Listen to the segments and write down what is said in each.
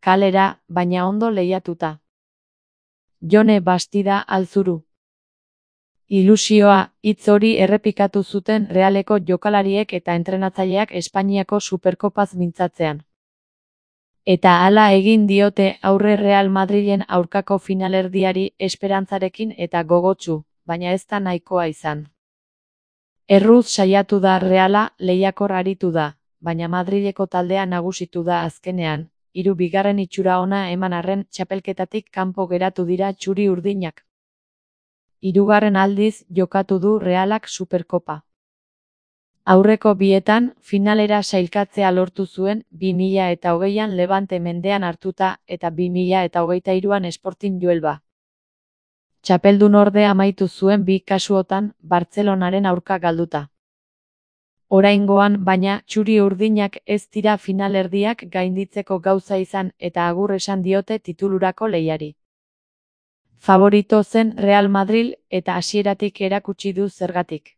kalera, baina ondo lehiatuta. Jone Bastida Alzuru. Ilusioa, hitz hori errepikatu zuten Realeko jokalariek eta entrenatzaileak Espainiako Superkopaz mintzatzean. Eta hala egin diote aurre Real Madrilen aurkako finalerdiari esperantzarekin eta gogotsu, baina ez da nahikoa izan. Erruz saiatu da Reala, lehiakor aritu da, baina Madrileko taldea nagusitu da azkenean, bigarren itxura ona eman arren txapelketatik kanpo geratu dira txuri-urdinak. Hirugarren aldiz jokatu du Realak Superkopa. Aurreko bietan, finalera sailkatzea lortu zuen 2020an Levante mendean hartuta eta 2023an Sporting Huelva. Txapeldun ordea amaitu zuen bi kasuotan Bartzelonaren aurka galduta. Oraingoan, baina, txuri-urdinak ez dira finalerdiak gainditzeko gauza izan eta agur esan diote titulurako lehiari. Favorito zen Real Madrid eta hasieratik erakutsi du zergatik.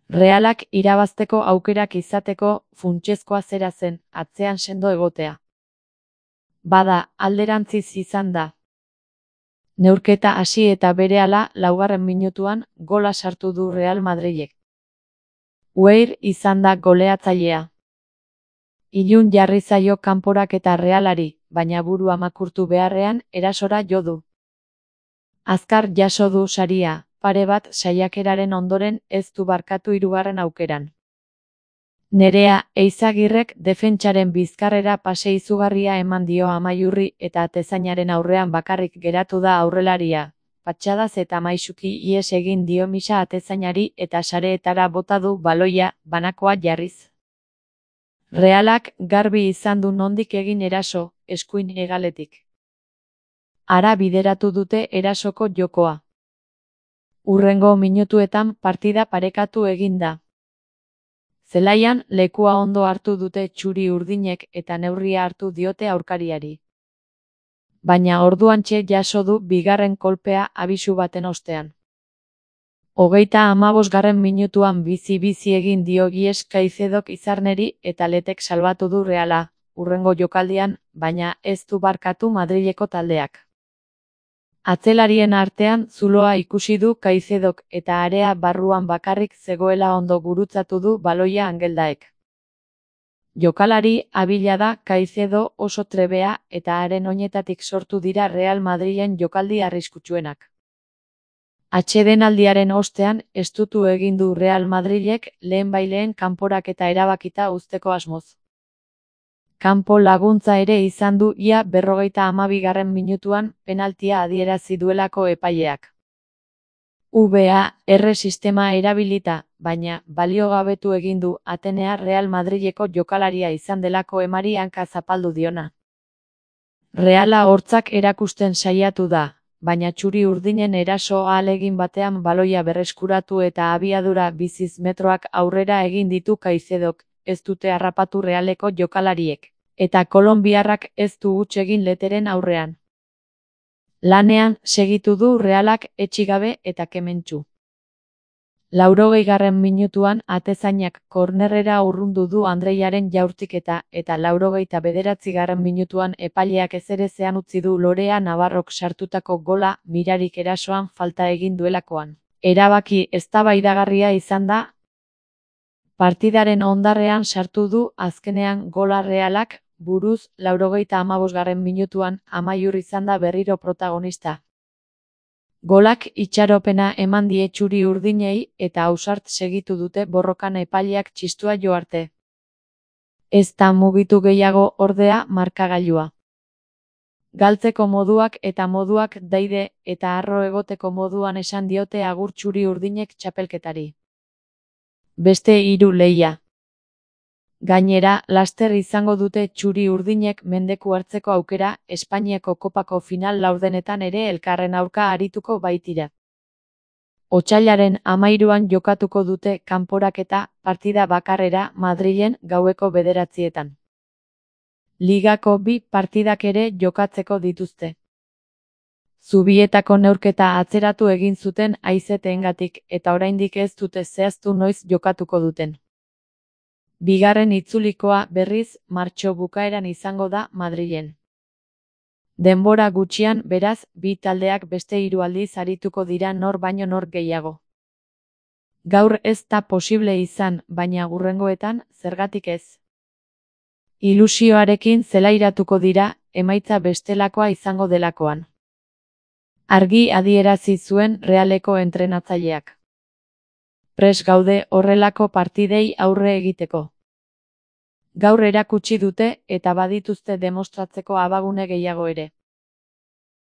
Realak irabazteko aukerak izateko funtsezkoa zera zen, atzean sendo egotea. Bada, alderantziz izan da. Neurketa hasi eta berehala 4. minutuan gola sartu du Real Madrilek. Weir izan da goleatzailea. Ilun jarri zaio kanporak eta Realari, baina burua makurtu beharrean erasora jo du. Azkar jaso du saria. Pare bat saiakeraren ondoren ez du barkatu hirugarren aukeran. Nerea Eizagirrek defentsaren bizkarrera pase izugarria eman dio Amaiurri eta atezainaren aurrean bakarrik geratu da aurrelaria. Patxadaz eta maisuki ihes egin dio misa atezainari eta sareetara bota du baloia, banakoa jarriz. Realak garbi izan du nondik egin eraso, eskuin hegaletik. Hara bideratu dute erasoko jokoa. Hurrengo minutuetan partida parekatu egin da. Zelaian lekua ondo hartu dute txuri-urdinek eta neurria hartu diote aurkariari. Baina orduantxe jaso du bigarren kolpea abisu baten ostean. 35. minutuan bizi-bizi egin dio Gies Caicedok Izarneri eta Letek salbatu du Reala, hurrengo jokaldian, baina ez du barkatu Madrileko taldeak. Atzelarien artean zuloa ikusi du Caicedok eta area barruan bakarrik zegoela ondo gurutzatu du baloia Angeldaek. Jokalari abila da Caicedo oso trebea eta haren oinetatik sortu dira Real Madrilen jokaldi arriskutsuenak. Atsedenaldiaren ostean estutu egin du Real Madrilek lehenbaileen kanporaketa erabakita uzteko asmoz. Kanpo laguntza ere izan du ia 52. minutuan penaltia adierazi duelako epaileak. VAR sistema erabilita, baina baliogabetu egin du Atenea Real Madrileko jokalaria izan delako emari hanka zapaldu diona. Reala hortzak erakusten saiatu da, baina txuri-urdinen eraso ahalegin batean baloia berreskuratu eta abiadura biziz metroak aurrera egin ditu Caicedok. Ez dute harrapatu Realeko jokalariek, eta kolonbiarrak ez du huts egin Leteren aurrean. Lanean segitu du Realak etxigabe eta kementsu. 80. minutuan atezainak kornerrera urrundu du Andreiaren jaurtiketa eta 89. minutuan epaileak ezerezean utzi du Lorea Navarrok sartutako gola mirarik erasoan falta egin duelakoan. Erabaki eztabaidagarria izan da. Partidaren ondarrean sartu du azkenean gola Realak, buruz 85. minutuan Amaiur izan da berriro protagonista. Golak itxaropena eman die txuri-urdinei eta ausart segitu dute borrokan epaileak txistua jo arte. Ez da mugitu gehiago ordea markagailua. Galtzeko moduak eta moduak daide eta harro egoteko moduan esan diote agur txuri-urdinek txapelketari. Beste 3 lehia. Gainera, laster izango dute txuri-urdinek mendeku hartzeko aukera, Espainiako kopako final laurdenetan ere elkarren aurka arituko baitira. Otsailaren 13an jokatuko dute kanporaketa partida bakarrera Madrilen gaueko 9:00. Ligako 2 partidak ere jokatzeko dituzte. Zubietako neurketa atzeratu egin zuten haizeteengatik eta oraindik ez dute zehaztu noiz jokatuko duten. Bigarren itzulikoa berriz martxo bukaeran izango da Madrilen. Denbora gutxian, beraz, bi taldeak beste 3 aldiz arituko dira nor baino nor gehiago. Gaur ez da posible izan, baina hurrengoetan, zergatik ez? Ilusioarekin zelairatuko dira, emaitza bestelakoa izango delakoan. Argi adierazi zuen Realeko entrenatzaileak. Prest gaude horrelako partidei aurre egiteko. Gaur erakutsi dute eta badituzte demostratzeko abagune gehiago ere.